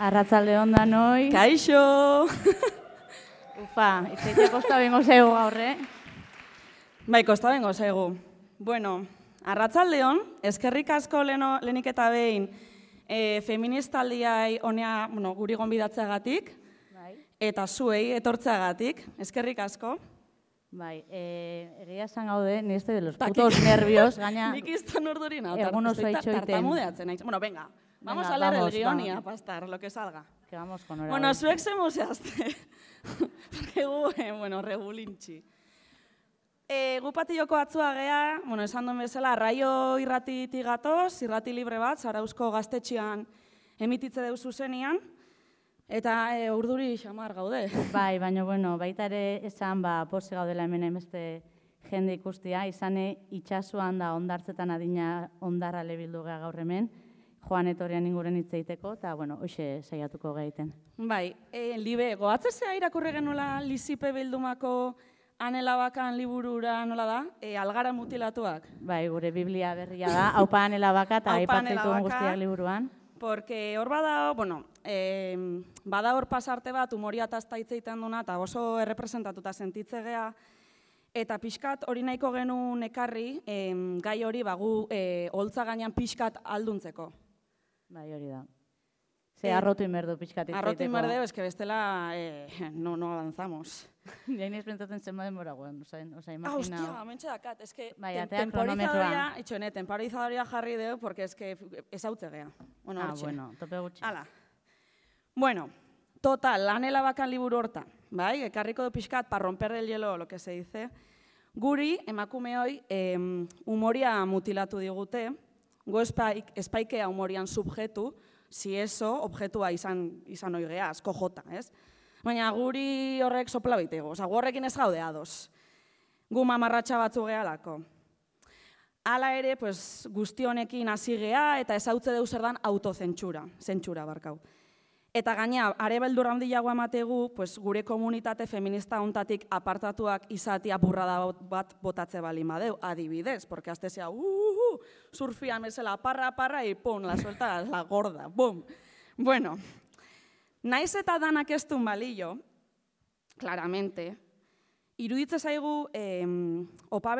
Arratsalde on danoi. Kaixo! Ufa, itzaite kosta bengo zaigu gaur, Bai, kosta bengo zaigu. Bueno, arratsalde on, eskerrik asko lehenik eta behin feministaldiai honea, guri gonbidatzeagatik, eta zuei etortzeagatik, eskerrik asko. Bai, egia esan gaude, ni este de los putos nervios, gaina... Nik izten urduri nao, egun oso itxoiten. tartamudeatzen naiz. Bueno, venga, vamos a leer el guión y a pastar, lo que salga. Que vamos con hora. Bueno, zuek zemuzeazte. Porque gu, regulintxi. Gu patilloko atzua gea, esan duen bezala, Arraio irratitik gatoz, irrati libre bat, Zarauzko gaztetxean emititze deu zuzenian, eta urduri xamar gaude. Bai, baina, baita ere esan, pose gaudela hemen beste jende ikustia, izane itxasuan da ondartzetan adina ondarra lebildu gea gaur hemen, Joan etorrian inguren hitz egiteko, eta, hoxe saiatuko gaiten. Bai, Libe, goatzezea irakurri genuela Lizipe bildumako Anela Bakan liburura nola da? Algara mutilatuak. Bai, gure Biblia berria da, Aupa Anela Baka eta aipatzen duen guztiak liburuan. Porque hor bada, bada hor pasarte bat, umoria tazta hitz egiten duna, eta oso errepresentatuta sentitze gea, eta pixkat hori nahiko genuen ekarri, gai hori gu holtza gainean pixkat alduntzeko. Bai, hori da. Ze arrotu inberdu pixkat hitz egiteko. Arrotu inberdu, eske bestela no avanzamos. Jainiz pentsatzen zenba denbora guen, imagina... Hostia, mentxe dakat, eske temporizadoria jarri deu, porque eske ezautze gea. Tope gutxi. Hala. Bueno, total, Anela Bakan liburu horta, bai? Ekarriko du pixkat, pa romper el hielo, lo que se dice. Guri, emakumeoi, umoria mutilatu digute, gu espaikea umorian subjetu, si eso, objetua izan oigea, asko jota, ez? Baina guri horrek sopla bitego, gu horrekin ez gaude ados. Gu mamarratxa batzu gehalako. Hala ere, guzti honekin hasi gea eta ezautze deu zer dan zentsura barkau. Eta gaina, are beldurra handiago emategu, gure komunitate feminista hontatik apartatuak izatia burrada bat botatze balin badeu, adibidez, porque azte zea, surfian bezala, parra, y pum, la suelta, la gorda, bum. Bueno, naiz eta danak ez duen balio, claramente, iruditze zaigu opa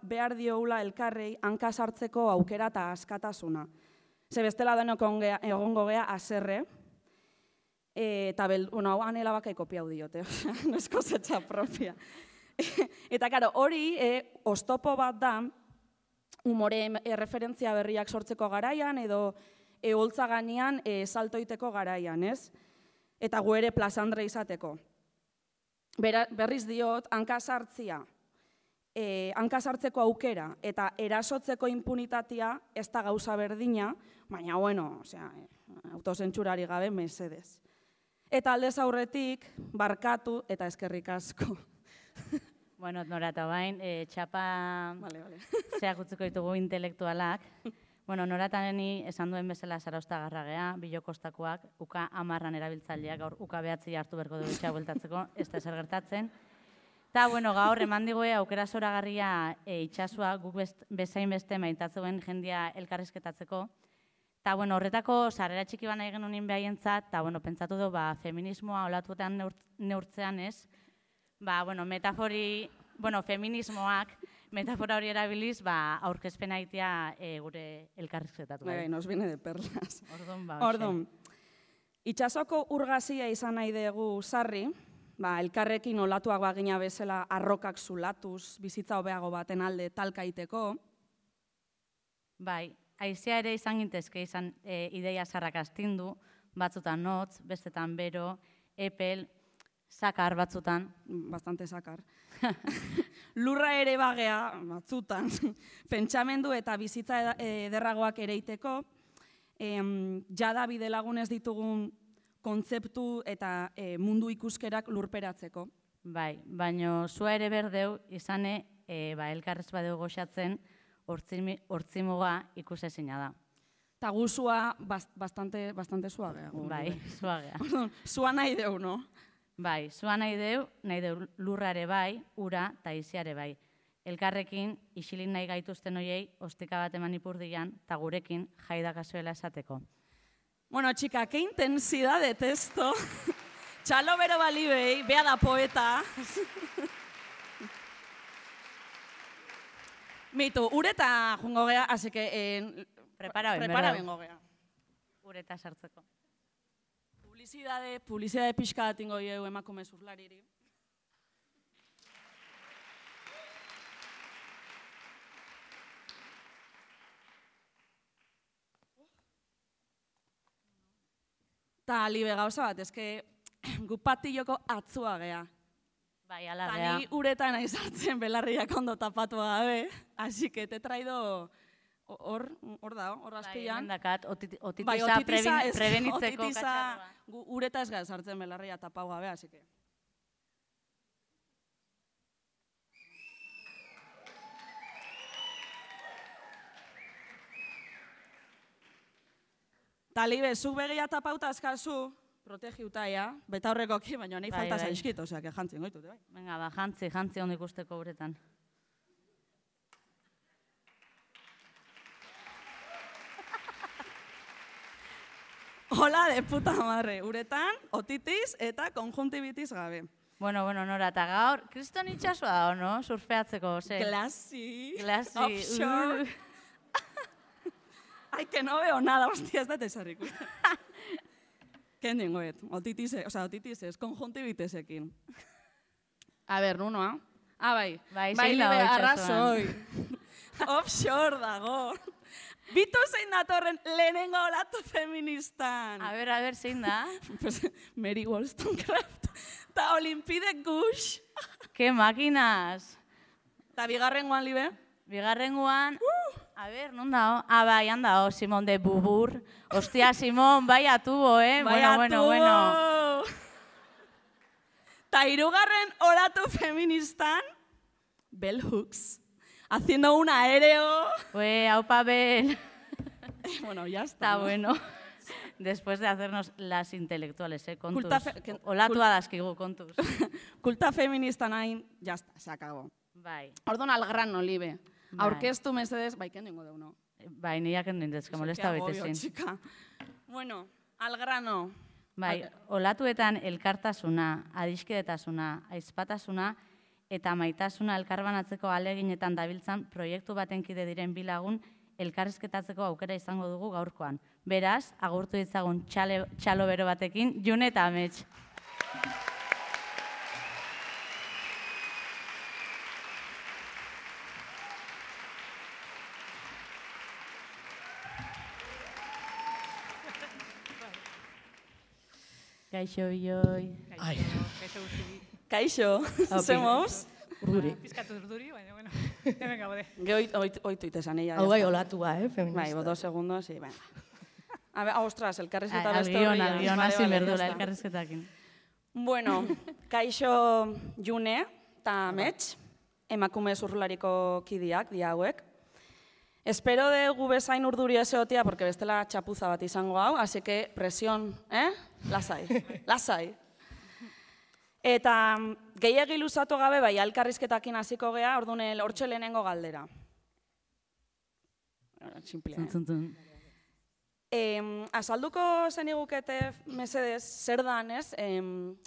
behar dioula elkarrei hanka sartzeko aukera eta askatasuna. Ze bestela denok egongo gea aserre, eta hau Anela Bakai kopiau diote, no es cosecha propia. Eta, karo, hori oztopo bat da, umore referentzia berriak sortzeko garaian, edo holtza ganean saltoiteko garaian, ez? Eta gu ere plazandre izateko. Berriz diot, hanka sartzeko aukera eta erasotzeko impunitatea ez da gauza berdina, baina, autozentsurari gabe mesedez. Eta aldez aurretik, barkatu eta eskerrik asko. Bueno, Nora eta bain, txapa zeak utziko ditugu intelektualak. Bueno, Nora eta neni esan duen bezala Zarauztarra gea, Bilokostakoak, uka 10 erabiltzaileak, gaur uka 9 hartu berko dugu itxea bueltatzeko, ez da zer gertatzen. Eta, gaur eman digue aukera zoragarria itxasua guk bezain beste maintatzen jendia elkarrizketatzeko. Eta, horretako sarrera txiki bana egin honin behaientzat, eta, pentsatu du, feminismoa olatuetan neurtzean ez, feminismoak, metafora hori erabiliz, aurkezpena egitea gure elkarrizketatu. Nos viene de perlas. Ordon, itxasoko urgazia izan nahi dugu sarri, elkarrekin olatuak bagina bezala arrokak zulatuz, bizitza hobeago baten alde talkaiteko. Bai, haizea ere izan gintezke izan ideia zarrak astindu, batzutan notz, bestetan bero, epel, sakar batzutan. Bastante sakar. Lurra ere bagea, batzutan, pentsamendu eta bizitza ederragoak ereiteko, jada bidelagunez ditugun kontzeptu eta mundu ikuskerak lurperatzeko. Bai, baina zua ere berdeu izane elkarrez badeu goxatzen hortzimuga ikusezina da. Eta gu zua bastante zuagea. Bai, zuagea. Zua nahi deu, no? Bai, zua nahi deu lurrare bai, ura eta iziare bai. Elkarrekin, isilin nahi gaituzten hoiei, ostika bat eman ipurdian, eta gurekin jaidakazuela esateko. Bueno, chica, qué intensidad de texto. Txalo bero balibei, bea da poeta. Mitu, ureta jungo gea, así que prepara bengo gea. Ureta sartzeko. Publizidade pixka datingo diegu emakume zurlariri. Ta libe gauza bat, eske gu patilloko atzua gea. Bai, ala gea. Ta ni uretan nahi sartzen belarriak ondo tapatu gabe, así que te traido hor azpian. Bai, mendakat, otitisa prebenitzeko katxarroa. Gu ureta ez gara sartzen belarria tapau gabe, así que... Talibe, zuk begia tapauta azkazu, protegiuta, ja, beta horrekoki, baina nahi falta zaizkit, osea, que jantzin goitute, bai. Venga, ba, jantzi ondo ikusteko uretan. Hola de puta madre, uretan, otitis eta konjuntibitis gabe. Bueno, Nora, eta gaur, kriston itxasua da, no? Surfeatzeko, ze? Glasi, offshore. Ai, que no veo nada, hostia, ez da tesarrik. Ken dingoet, otitis ez, konjuntibitesekin. A ber, nunoa? Bai, libe, arrazoi. Offshore dago. Bitu zein datorren lehenengo olatu feministan. A ber, zein da? Mary Wollstonecraft. Ta Olimpide Gush. Ke makinas. Ta bigarrengoan, libe? Bigarrengoan... A ber, non dao? Bai, handao, Simon de Bubur. Ostia, Simon, bai atubo, Bueno. Ta hirugarren olatu feministan, Bell Hooks, haciendo un aéreo. Aupa Bell. Bueno, ya está. Está bueno. Después de hacernos las intelectuales, kontuz. Olatua dazkigu, kontuz. Kulta feminista nahin, ya está, se acabó. Bai. Ordon al grano, libe. Aurkeztu mesedes, bai, kendengo deuno. Bai, niak endindez, que molesta baitezin. Bueno, al grano. Bai, olatuetan elkartasuna, adiskidetasuna, aizpatasuna eta maitasuna elkarbanatzeko aleginetan dabiltzan proiektu baten kide diren bilagun elkarrizketatzeko aukera izango dugu gaurkoan. Beraz, agurtu ditzagun txalo bero batekin, June eta Amets. Kaixo, bioi. Kaixo, zemoz? Urduri. Pizkatu urduri, baina, bueno, hemen gaude. Oitu itesan ella. Hau gai olatua, feminista. Bai, 2 segundos, y venga. A ver, ostras, elkarrizketa beste horri. Agion, hasi berdula elkarrizketakin. Bueno, kaixo June eta Amets, emakume zurrulariko kidiak, dia hauek. Espero dugu bezain urduri ezeotia, porque bestela txapuza bat izango hau, así que presión, lasai. Eta gehiagi luzatu gabe, bai, elkarrizketakin hasiko gea, orduan hortxe lehenengo galdera. Simplea, azalduko zenigukete, mesedez, zer dan, ez?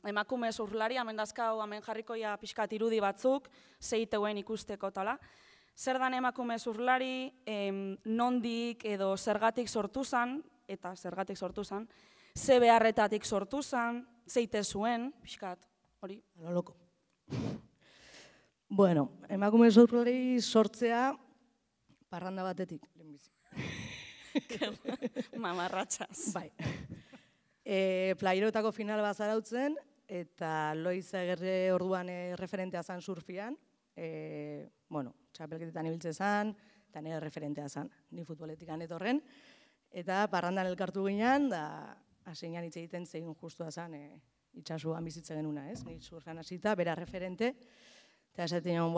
Emakume zurrulari, hemen dazkau, hemen jarrikoia pixkat irudi batzuk, zeiteuen ikusteko tala. Zer dan emakume zurrulari, nondik edo zergatik sortu zan, eta zergatik sortu zan, ze beharretatik sortu zan, zeite zuen, pixkat, hori. Loko. Bueno, emakume zurrulari sortzea parranda batetik, lehenbizi. Mamarratxaz. Bai. Plairotako final bat zarautzen, eta Loiza Gerre orduan referentea zan surfian. Bueno, txapelketetan ibiltze zan, eta nire referentea zan, ni futboletik etorren. Eta parrandan elkartu ginean, da haseinan hitz egiten zein justua zan itxasuan bizitze genuna, ez? Ni surfean hasita, bera referente, eta esaten nion,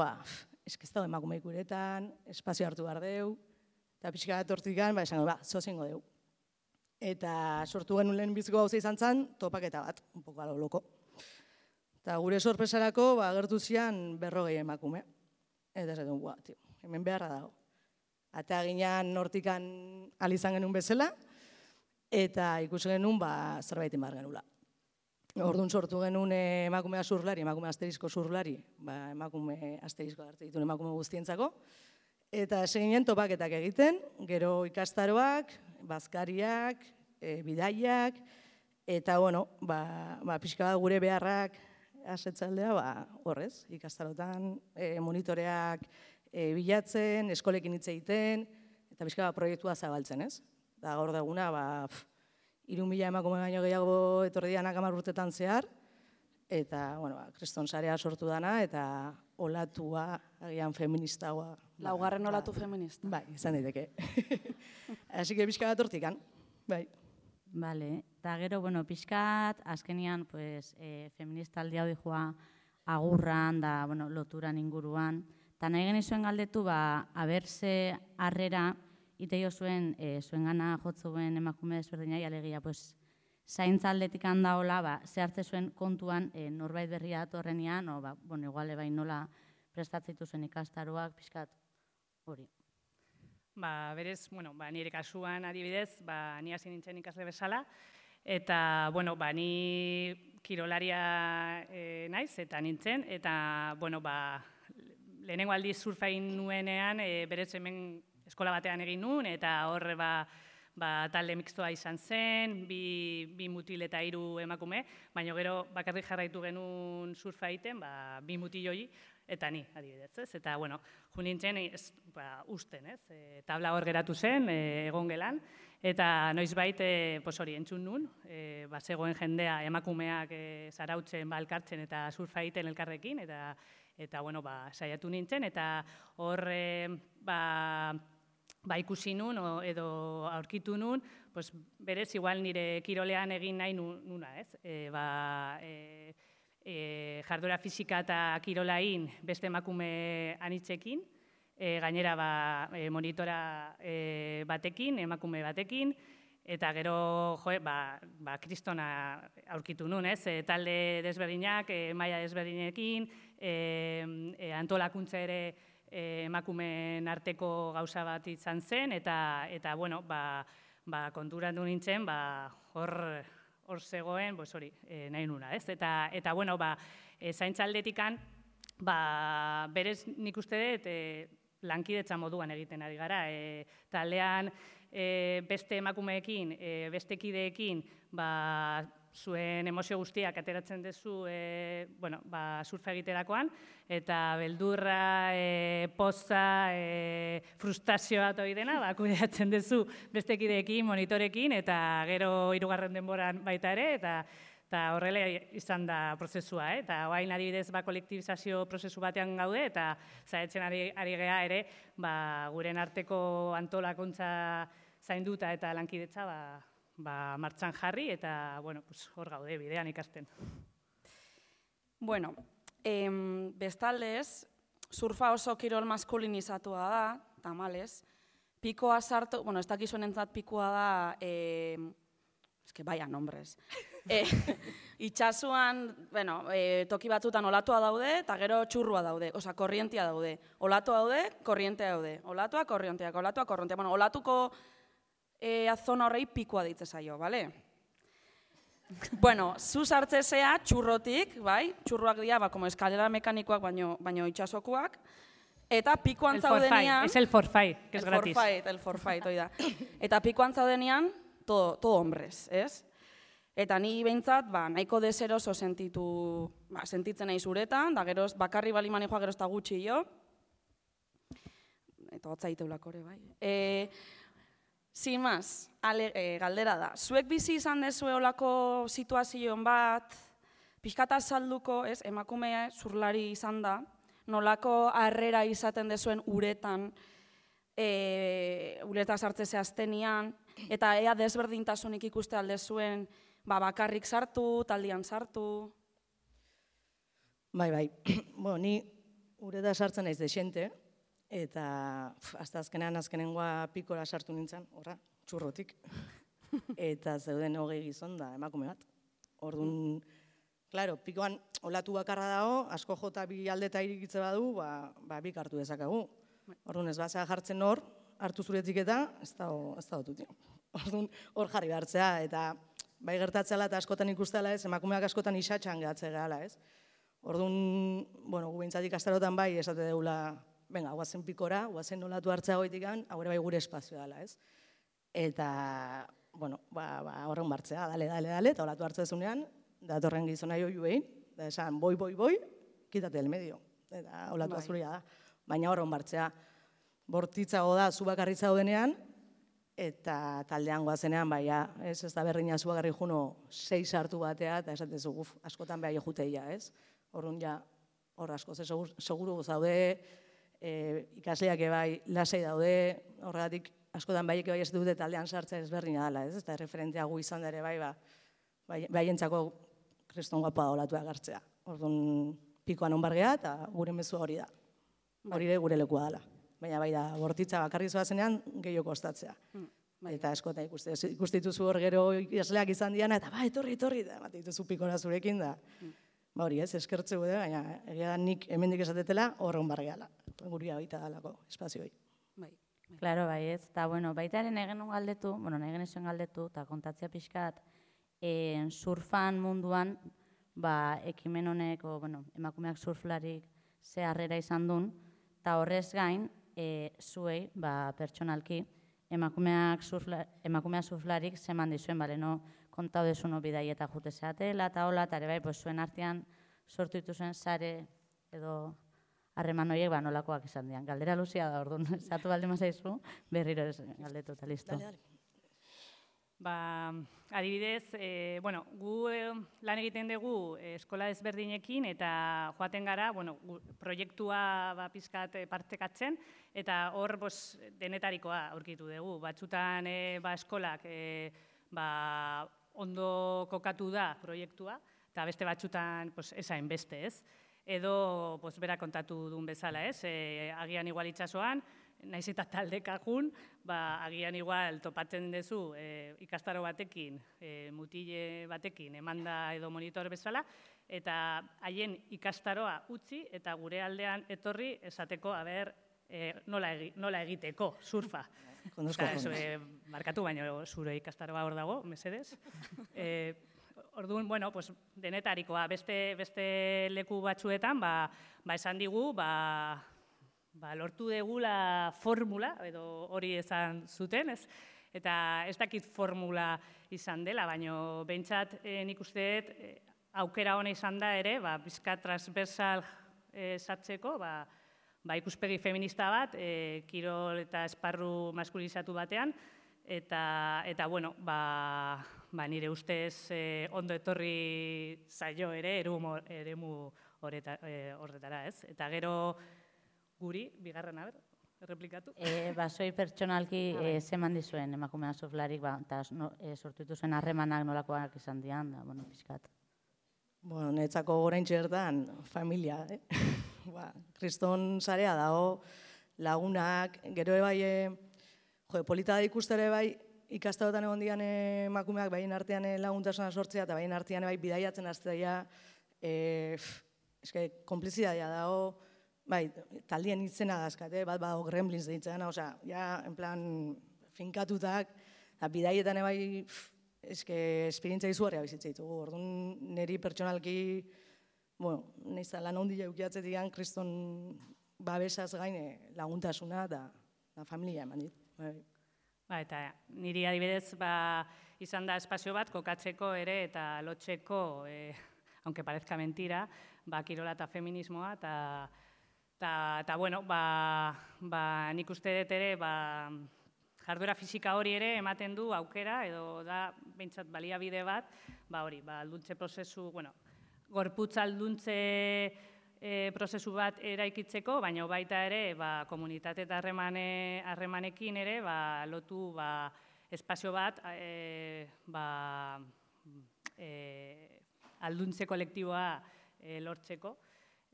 eske ez dago emakumeik uretan, espazio hartu behar deu, eta pixka bat hortikan, esango, zozingo deu. Eta sortu genuen lehen biziko gauza izan zen, topaketa bat, un poco alo loko. Eta gure sorpresarako, agertu zian 40 emakume. Eta esaten, hemen beharra dago. Eta ginean hortikan alizan genuen bezala, eta ikusi genuen zerbait emar genula. Orduan sortu genuen emakumea zurlari, emakume asterisko zurlari, emakume asterisko hartzen dituen emakume guztientzako, eta seginen topaketak egiten, gero ikastaroak, bazkariak, bidaiak, eta, bueno, pixka bat gure beharrak asetzaldea, horrez, ikastarotan monitoreak bilatzen, eskolekin hitz egiten, eta pixka bat proiektua zabaltzen, ez? Da gaur daguna, 3.000 emakume baino gehiago etorri dianak 10 urtetan zehar, eta, bueno, kriston sarea sortu dana, eta olatua, agian feministagoa. Laugarren olatu feminista. Bai, izan daiteke. Así que pixka bat hortikan, bai. Bale, eta gero, bueno, pixkat, azkenian, pues, feminista aldia hori joa agurran, da, bueno, loturan inguruan, eta nahi genizuen galdetu, aberse harrera, iteio zuen, zuen gana jotzuen emakume desberdinai, alegia, pues, zaintza aldetik handaola, ze hartze zuen kontuan norbait berria datorrenean, bueno, iguale bain nola prestatzeitu zuen ikastaroak, pixkat, hori. Berez, bueno, nire kasuan adibidez, ni hasi nintzen ikasle bezala, eta, bueno, ni kirolaria naiz, eta nintzen, eta, bueno, lehenengo aldiz surfa egin nuenean, berez hemen eskola batean egin nuen, eta horre talde mixtoa izan zen, bi mutil eta 3 emakume, baina gero bakarrik jarraitu genuen surfa egiten, 2 mutil hori, eta ni, adibidez, ez? Eta, bueno, jo nintzen, usten, ez? Tabla hor geratu zen, egon gelan, eta noizbait, hori, entzun nun, zegoen jendea emakumeak zarautzen, elkartzen eta surfa egiten elkarrekin, eta, bueno, saiatu nintzen, eta hor, ikusi nun, edo aurkitu nun, berez, igual nire kirolean egin nahi nuna, ez? Jarduera fisika eta kirolain beste emakume anitzekin, gainera monitora batekin, emakume batekin, eta gero, kristona aurkitu nun, ez? Talde desberdinak, maila desberdinekin, antolakuntza ere emakumeen arteko gauza bat izan zen, eta, bueno, konturatu nintzen, hor zegoen, hori, nahi nuna, ez? Eta, bueno, zaintza aldetikan, berez nik uste dut, lankidetza moduan egiten ari gara. Taldean beste emakumeekin, beste kideekin, zuen emozio guztiak ateratzen duzu surfa egiterakoan, eta beldurra, poza, frustrazioa hori dena, kudeatzen duzu beste kideekin, monitorekin, eta gero 3. denboran baita ere, eta horrela izan da prozesua, eta oain adibidez kolektibizazio prozesu batean gaude, eta zaitzen ari gea ere, guren arteko antolakuntza zainduta eta lankidetza, martxan jarri, eta, bueno, hor gaude, bidean ikasten. Bueno, bestaldez, surfa oso kirol maskulinizatua da, tamalez, pikoa sartu, bueno, ez dakizuen entzat pikoa da, vaya nombres, itxasuan, bueno, toki batzutan olatua daude, eta gero txurrua daude, oza, korrientia daude, olatua daude, korrientea daude, olatua, korrientea, bueno, olatuko zona horrei pikoa ditze zaio, bale? Bueno, zu sartzezea txurrotik, bai? Txurruak dira, como eskalera mekanikoak, baino itxasokoak, eta pikoan zaudenean... Es el forfait, que es gratis. El forfait, hoi da. Eta pikoan zaudenean, todo hombres, ez? Eta ni behintzat, nahiko deseroso sentitzen nahi zuretan, da geroz, bakarri bali manejoa geroz eta gutxi jo. Eta hotzaiteulako ere, bai. Sin más, galdera da. Zuek bizi izan dezue olako situazioen bat, pixkata salduko, emakume zurlari izan da, nolako harrera izaten dezuen uretan, ureta sartze zehaztenian, eta ea desberdintasunik ikuste aldezuen bakarrik sartu, taldian sartu. Bai. Bueno, ni ureta sartzen naiz desente, eta hasta azkenengoa pikora sartu nintzen, horra, txurrotik. Eta zeuden 20 gizon da emakume bat. Orduan, klaro, pikoan olatu bakarra dago, asko jota 2 aldeta irikitze badu, bik hartu dezakagu. Orduan ez bazea jartzen hor, hartu zuretik eta ez da dututi. Orduan, hor jarri behartzea, eta bai gertatzela eta askotan ikustela ez, emakumeak askotan isatxan gehatze gehala, ez? Orduan, bueno, gu behintzat ikastarotan bai esate deula, venga, guazen pikora, guazen nolatu hartzea goitikan, hau bai gure espazioa dela, ez? Eta, bueno, horren bartzea, dale, eta olatu hartzea zunean, datorren gizona joi behin, da esan, boi, kitate del medio, eta olatu azuria da. Baina horren bartzea, bortitzago da, zu bakarritza daudenean, eta taldean goazenean, ez da berdina zu bakarri juno 6 hartu batea, eta esatezu, askotan behar juteia, ez? Horren ja, hor asko, seguru zaude, ikasleak bai lasai daude, horregatik askotan baiek bai ez dute taldean sartzea ezberdina dela, ez? Eta referentea gu izan dere baientzako kriston guapa olatu agartzea. Orduan, pikoan onbargea eta gure mezua hori da. Hori ere gure lekua dela. Baina bai da, bortitza bakarri zoazenean gehiago kostatzea. Eta askotan ikustituzu hor gero ikasleak izan diana, eta etorri, eta bat dituzu pikora zurekin da. Hori ez, eskertze gude, baina egia nik hemendik esatetela horren bargeala. Guria baita dalako espazioi. Claro, bai ez. Eta, bueno, baitaren nahi genuen galdetu, eta kontatzea pixkat, surfan munduan, ekimen honek, emakumeak surflarik ze harrera izan duen, eta horrez gain, zuei, pertsonalki, emakumeak surflarik zeman dizuen, no, kontau dezuno bidaieta jute zeatela, eta hola, eta ere bai, zuen artean sortu dituzuen sare edo harreman horiek nolakoak izan dian. Galdera luzia da, orduan, zatu balde mazaizu, berriro galdetu eta listo. Adibidez, gu lan egiten dugu eskola ezberdinekin eta joaten gara, proiektua pizkat partekatzen eta hor denetarikoa aurkitu dugu. Batzutan eskolak ondo kokatu da proiektua eta beste batzutan esain beste, ez? Edo bera kontatu duen bezala, ez? Agian igual itxasoan, naiz eta taldekajun, agian igual topatzen duzu ikastaro batekin, mutile batekin, emanda edo monitor bezala, eta haien ikastaroa utzi eta gure aldean etorri esateko, nola egiteko surfa. Markatu baino zure ikastaroa hor dago, mesedez. Orduan, denetarikoa, beste leku batzuetan, esan digu, lortu degula formula, edo hori esan zuten, ez? Eta ez dakit formula izan dela, baina behintzat nik uste dut aukera hona izan da ere, bizka transversal sartzeko, ikuspegi feminista bat, kirol eta esparru maskulizatu batean, eta nire ustez ondo etorri zaio ere eremu horretara, ez? Eta gero guri, bigarren, erreplikatu? Zoi pertsonalki zeman dizuen emakumea surflarik, eta sortu dituzuen harremanak nolakoak izan dian, pixkat. Netzako gorain txertan, familia, kriston zarea dago, lagunak, gero bai, polita da ikustere bai, ikastarotan egon dian emakumeak baien artean laguntasuna sortzea, eta baien artean bai bidaiatzen aztea, konplizidadia dago, taldien itzena dazkate, bat gremlins deitzen, en plan, finkatutak, bidaietan bai, esperientzia izugarria bizitzea ditugu. Orduan, niri pertsonalki, nahiz lan ondila eukiatzetik kriston babesaz gain laguntasuna eta familia eman dit. Eta niri adibidez izan da espazio bat kokatzeko ere eta lotzeko, aunque parezca mentira, kirola eta feminismoa, eta nik uste dut ere jarduera fisika hori ere ematen du aukera, edo da behintzat baliabide bat, alduntze prozesu, gorputz alduntze prozesu bat eraikitzeko, baina baita ere komunitate eta harremanekin ere lotu espazio bat alduntze kolektiboa lortzeko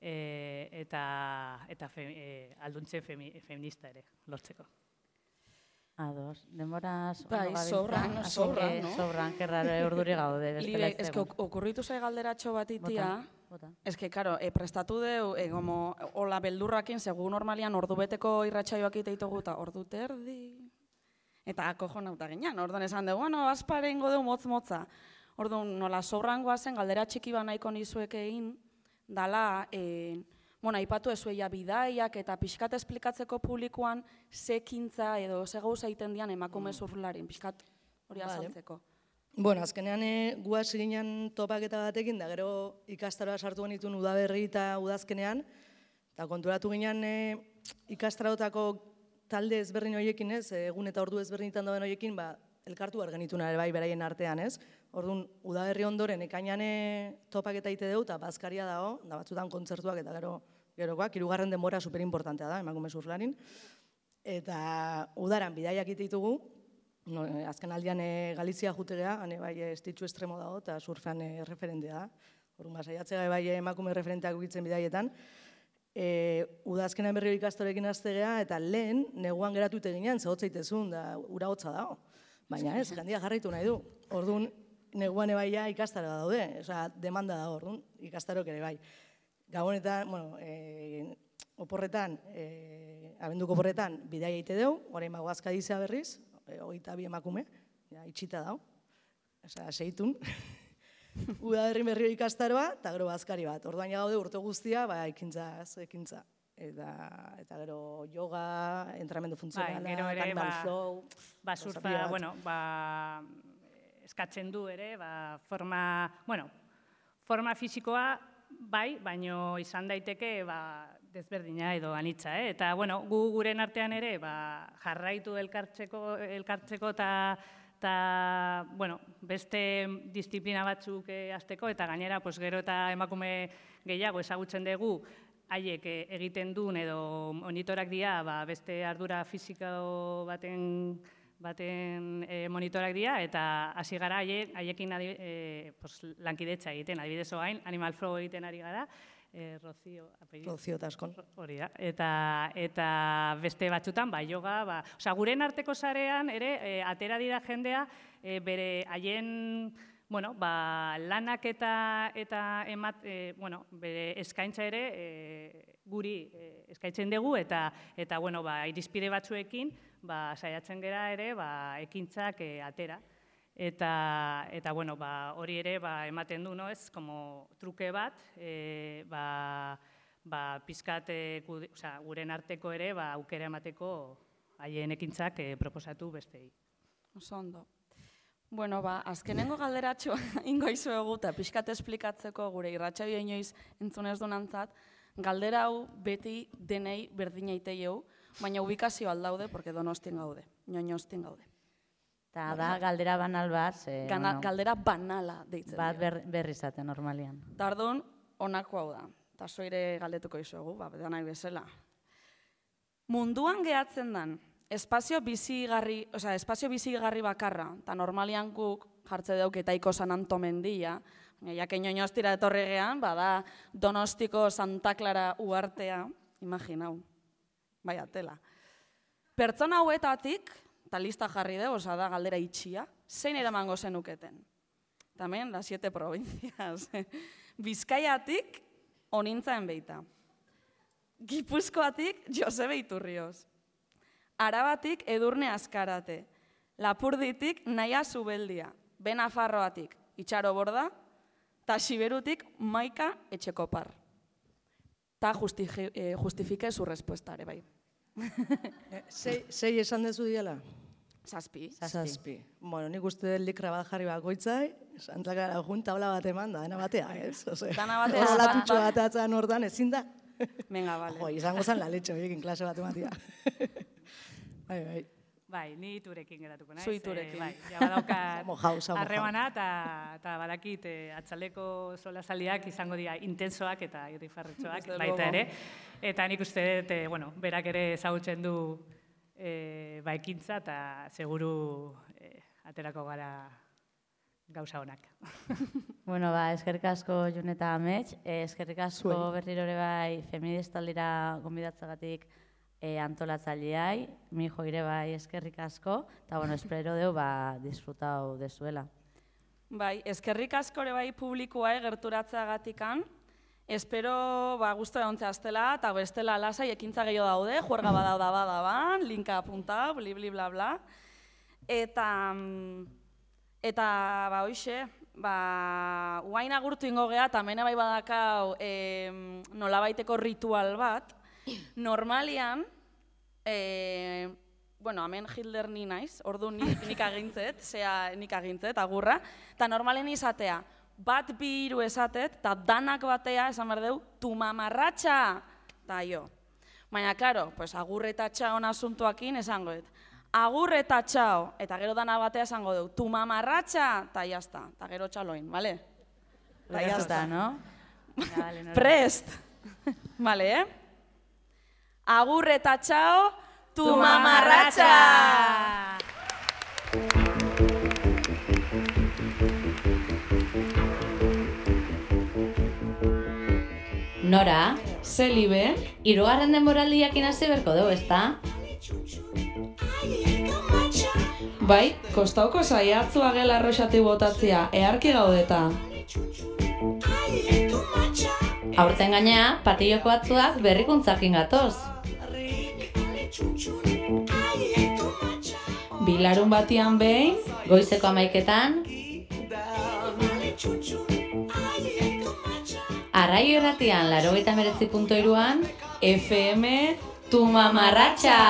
eta alduntze feminista ere lortzeko. Ados, denboraz... sobran, no? Sobran, kerraro urduri gaude. Libe, okurritu zai galderatxo bat itia, karo, prestatu deu, hola beldurrakin, segun normalian ordu beteko irratxaioak iteitugu, eta ordu terdi... Eta kojonauta ginen, orduan esan dugu, bueno, aspare ingo dugu motz-motza. Orduan, nola sobrangoa zen, galdera txiki ba nahiko nizuek egin, dala, aipatu ezueia bidaiak eta pixkat esplikatzeko publikoan ze ekintza edo ze gauza egiten dian emakume surflarin, pixkat hori azaltzeko. Bueno, azkenean gu hasi ginen topaketa batekin, da gero ikastaroa sartu genituen udaberri eta udazkenean, eta konturatu ginen ikastaroetako talde ezberdin horiekin, egun eta ordu ezberdinetan dauden horiekin, elkartu behar genituen ere bai beraien artean, ez? Orduan, udaberri ondoren ekainan topaketa ite dugu, eta bazkaria dago, da batzutan kontzertuak eta gerokoak, hirugarren denbora superimportantea da, emakume surflarin. Eta udaran bidaiak ite ditugu, azken aldian Galizia jutegea, hane bai estitxu estremo dago, eta surfean referentea da. Orduan, saiatzea bai emakume referenteak ukitzen bidaietan. Udazkenan berri ikastorekin aztegea, eta lehen neguan geratu ite ginen, zehotzaitezun, da ura hotza dago. Baina ez, gandia jarraitu nahi du. Orduan, neguan ebaia ikastaro daude, demanda da orduan, ikastarok ere bai. Gabonetan, oporretan, abenduko oporretan, bidai eite dugu, orain bagoazka dizea berriz, 22 emakume, itxita dago, seitun. Udaberri berri ikastaroa, eta gero bazkari bat. Orduan gaude urte guztia, ekintza. Eta gero yoga, entrenamendu funtzionala, animal flow. Surfa, eskatzen du ere, forma fisikoa bai, baino izan daiteke desberdina edo anitza. Eta gu guren artean ere jarraitu elkartzeko eta beste disiplina batzuk hasteko, eta gainera gero eta emakume gehiago ezagutzen dugu, haiek egiten duen edo monitorak dira, beste ardura fisiko baten monitorak dira, eta hasi gara haiekin lankidetza egiten, adibidez oain, Animal Flow egiten ari gara, Rocio Taskon. Hori da, eta beste batzutan, yoga, guren arteko sarean ere, atera dira jendea, bere haien lanak eta bere eskaintza ere guri eskaintzen dugu, eta irizpide batzuekin saiatzen gera ere ekintzak atera. Eta hori ere ematen du, ez, como truke bat, pizkat guren arteko ere aukera emateko haien ekintzak proposatu bestei. Oso ondo. Azkenengo galderatxoa ingo izuegu eta pixkat esplikatzeko gure irratsaio inoiz entzunez donantzat, galdera hau beti denei berdina iteieu, baina ubikazio aldaude, porque Donostien gaude, Ñoñostien gaude. Eta da, galdera banal bat. Galdera banala deitzen dira. Bat berri zaten, normalian. Tardun, honako hau da. Eta zoire galdetuko izuegu, nahi bezala. Munduan gehatzen dan, espazio bizigarri bakarra, eta normalian guk jartze dauk etaiko San Antomendia, jaken Ñoñostira etorregean, bada Donostiko Santa Clara uartea, imaginau, bai atela. Pertsona hauetatik, eta lista jarri dugu, da galdera itxia, zein eramango zenuketen? Tamen, las 7 provincias. Bizkaiatik, onintzaen beita. Gipuzkoatik, Josebe Iturrioz. Arabatik, Edurne Azkarate. Lapurditik, Naia Zubeldia. Benafarroatik, Itxaro Borda. Ta Siberutik, Maika Etxekopar. Ta justifike su respuesta, ere bai. Sei esan dezu diela? Zazpi. Bueno, nik uste likra bat jarri bakoitzai, santlakara junta hola bat eman da, dena batea, ez? Dana batea. Holatutxo bat atzan ordan, ezin da? Venga, bale. Jo, izango zan la leche horiekin klase bat ematia. Bai. Bai, ni iturekin geratuko naiz. Zu iturekin. Bai, ja badaukat harremana eta badakit atzaleko solasaldiak izango dira intensoak eta irrifarretxoak baita ere. Eta nik uste dut, berak ere ezagutzen du ekintza eta seguru aterako gara gauza honak. Eskerrik asko Jun eta Amets, eskerrik asko berriro ere bai feministaldira gonbidatzagatik antolatzaileai, mijo ire bai eskerrik asko, eta espero deu disfrutau dezuela. Bai, eskerrik asko ere bai publikoa gerturatzagatikan, espero guztu egontzea aztela, eta bestela lasai ekintza gehiago daude, juerga badau da badaban, linka apuntau, bli bla bla. Eta ba, hoxe, uain agurtu ingo geha, eta mena bai badakau nolabaiteko ritual bat. Normalian, bueno, hemen Hitler ni naiz, ordu nik agintzet, agurra, eta normalen izatea, bat bi hiru esatet, eta danak batea, esan behar deu, tu mamarratxa, eta jo. Baina, karo, pues, agur eta txaon asuntuakin esangoet. Agur eta txao, eta gero dana batea esango du, tu mamarratxa, eta jazta, eta gero txaloin, bale? Eta jazta, no? Prest! Bale, Agur eta txao, tu mamarratxa! Nora? Zelibe? Hirugarren denboraldiakin hasi berko dugu, ezta? Bai, kostauko saiatzua gela arroxati botatzea, eharki gaudeta. Aurten gainea, patilloko batzuak berrikuntzakin gatoz. Bilarun batian behin, goizeko 11etan, Arraio Irratian 89.3an, FM tu mamarratxa!